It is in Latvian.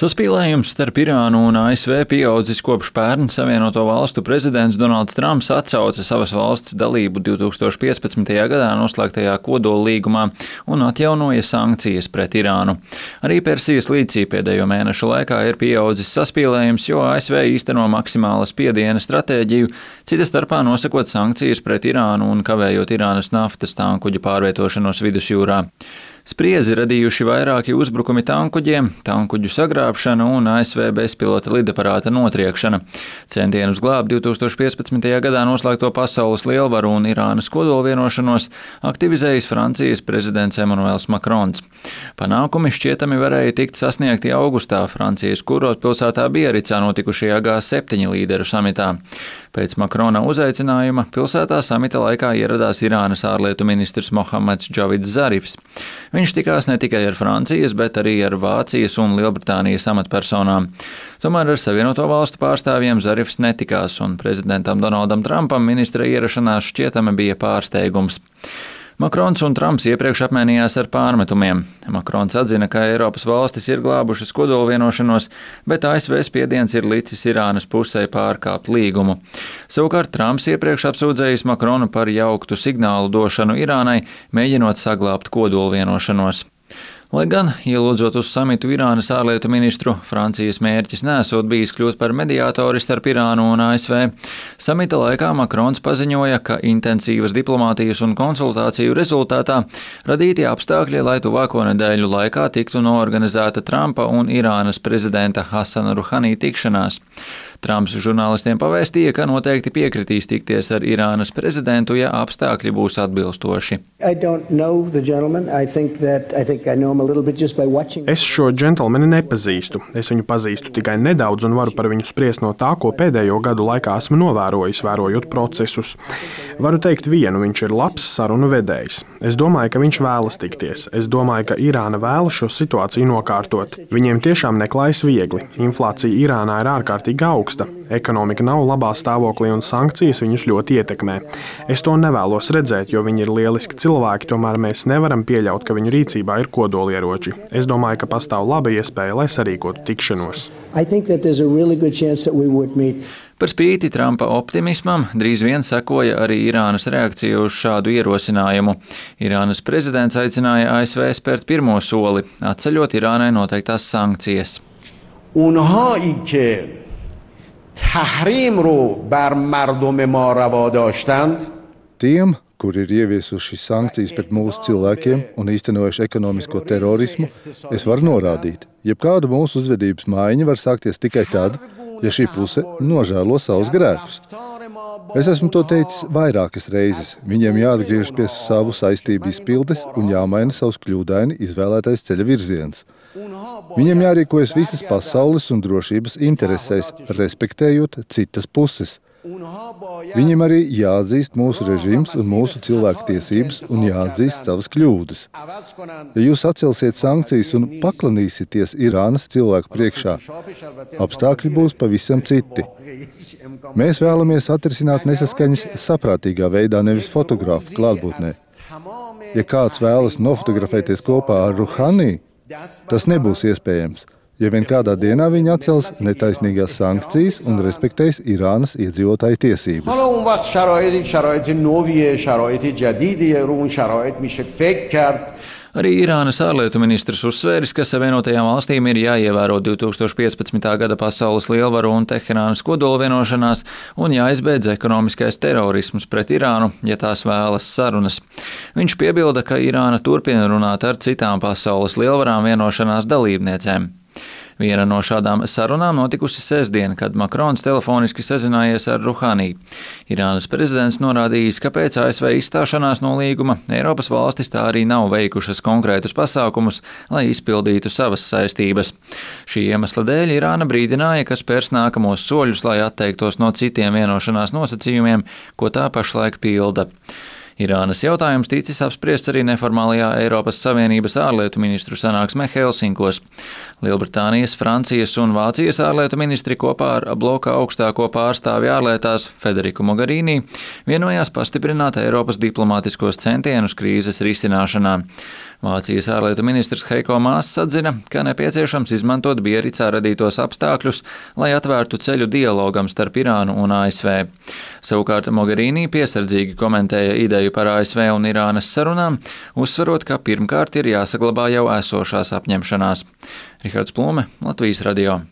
Saspīlējums starp Irānu un ASV pieaudzis kopš pērn Savienoto Valstu prezidents Donalds Trumps atcauca savas valsts dalību 2015. gadā noslēgtajā kodollīgumā un atjaunoja sankcijas pret Irānu. Arī Persijas līcī pēdējo mēnešu laikā ir pieaudzis saspīlējums, jo ASV īsteno maksimāla spiediena stratēģiju, cita starpā nosakot sankcijas pret Irānu un kavējot Irānas naftas tankuģu pārvietošanos vidusjūrā. Spriedzi radījuši vairāki uzbrukumi tankuģiem, tankuģu sagrābšana un ASV bezpilota lidaparāta notriekšana. Centienus glābt 2015. gadā noslēgto pasaules lielvaru un Irānas kodolvienošanos aktivizējis Francijas prezidents Emmanuels Macrons. Panākumi šķietami varēja tikt sasniegti augustā Francijas kurortpilsētā Biaricā notikušajā G7 līderu samitā. Pēc Makrona uzaicinājuma pilsētā samita laikā ieradās Irānas ārlietu ministrs Mohammeds Džavids Zarifs. Viņš tikās ne tikai ar Francijas, bet arī ar Vācijas un Lielbritānijas amatpersonām. Tomēr ar Savienoto Valstu pārstāvjiem Zarifs netikās, un prezidentam Donaldam Trumpam ministra ierašanās šķietami bija pārsteigums. Makrons un Trumps iepriekš apmainījās ar pārmetumiem. Makrons atzina, ka Eiropas valstis ir glābušas kodolvienošanos, bet ASV spiediens ir licis Irānas pusē pārkāpt līgumu. Savukārt Trumps iepriekš apsūdzējis Makronu par jauktu signālu došanu Irānai, mēģinot saglābt kodolvienošanos. Lai gan, ielūdzot uz samitu Irānas ārlietu ministru, Francijas mērķis nesot bijis kļūt par mediātori starp Irānu un ASV. Samita laikā Makrons paziņoja, ka intensīvas diplomātijas un konsultāciju rezultātā radīti apstākļi, lai tuvāko nedēļu laikā tiktu noorganizēta Trumpa un Irānas prezidenta Hasana Ruhani tikšanās. Trumps žurnālistiem pavēstīja, ka noteikti piekritīs tikties ar Irānas prezidentu, ja apstākļi būs atbilstoši. Es šo džentlmeni nepazīstu. Es viņu pazīstu tikai nedaudz un varu par viņu spriest no tā, ko pēdējo gadu laikā esmu novērojis, vērojot procesus. Varu teikt vienu, viņš ir labs sarunu vedējs. Es domāju, ka viņš vēlas tikties. Es domāju, ka Irāna vēlas šo situāciju nokārtot. Viņiem tiešām neklājas viegli. Inflācija Irānā ir ārkārtīgi augsta. Ekonomika nav labā stāvoklī un sankcijas viņus ļoti ietekmē. Es to nevēlos redzēt, jo viņi ir lieliski cilvēki, tomēr mēs nevaram pieļaut, ka viņu rīcībā ir kodolieroči. Es domāju, ka pastāv laba iespēja, lai sarīkotu tikšanos. Par spīti Trumpa optimismam, drīz vien sekoja arī Irānas reakcija uz šādu ierosinājumu. Irānas prezidents aicināja ASV spērt pirmo soli, atceļot Irānai noteiktās sankcijas. Tiem, kuri ir ieviesuši sankcijas pret mūsu cilvēkiem un īstenojuši ekonomisko terorismu, es varu norādīt, jebkāda mūsu uzvedības maiņa var sākties tikai tad, ja šī puse nožēlo savus grēkus. Es esmu to teicis vairākas reizes. Viņiem jāatgriežas pie savu saistību izpildes un jāmaina savs kļūdaini izvēlētais ceļa virziens. Viņiem jārīkojas visas pasaules un drošības interesēs, respektējot citas puses. Viņiem arī jāatzīst mūsu režīms un mūsu cilvēku tiesības un jāatzīst savas kļūdas. Ja jūs atcelsiet sankcijas un paklanīsieties Irānas cilvēku priekšā, apstākļi būs pavisam citi. Mēs vēlamies atrisināt nesaskaņas saprātīgā veidā, nevis fotogrāfu klātbūtnē. Ja kāds vēlas nofotografēties kopā ar Ruhani, tas nebūs iespējams. Ja vien kādā dienā viņi atcels netaisnīgās sankcijas un respektēs Irānas iedzīvotāju tiesības. Arī Irānas ārlietu ministrs uzsvēris, ka Savienotajām valstīm ir jāievēro 2015. gada pasaules lielvaru un Teherānas kodolvienošanās un jāizbeidz ekonomiskais terorisms pret Irānu, ja tās vēlas sarunas. Viņš piebilda, ka Irāna turpina runāt ar citām pasaules lielvarām vienošanās dalībniecēm. Viena no šādām sarunām notikusi sestdien, kad Makrons telefoniski sazinājies ar Ruhani. Irānas prezidents norādījis, ka pēc ASV izstāšanās no līguma Eiropas valstis tā arī nav veikušas konkrētus pasākumus, lai izpildītu savas saistības. Šī iemesla dēļ Irāna brīdināja, ka spērs nākamos soļus, lai atteiktos no citiem vienošanās nosacījumiem, ko tā pašlaik pilda. Irānas jautājums ticis apspriests arī neformālajā Eiropas Savienības ārlietu ministru sanāksmē Helsinkos. Lielbritānijas, Francijas un Vācijas ārlietu ministri kopā ar bloka augstāko pārstāvi ārlietās Federiku Mogherini vienojās pastiprināt Eiropas diplomātiskos centienus krīzes risināšanā. Vācijas ārlietu ministrs Heiko Maass atzina, ka nepieciešams izmantot Biaricā radītos apstākļus, lai atvērtu ceļu dialogam starp Irānu un ASV. Savukārt Mogherini piesardzīgi komentēja ideju par ASV un Irānas sarunām, uzsverot, ka pirmkārt ir jāsaglabā jau esošās apņemšanās. Rihards Plūme, Latvijas radio.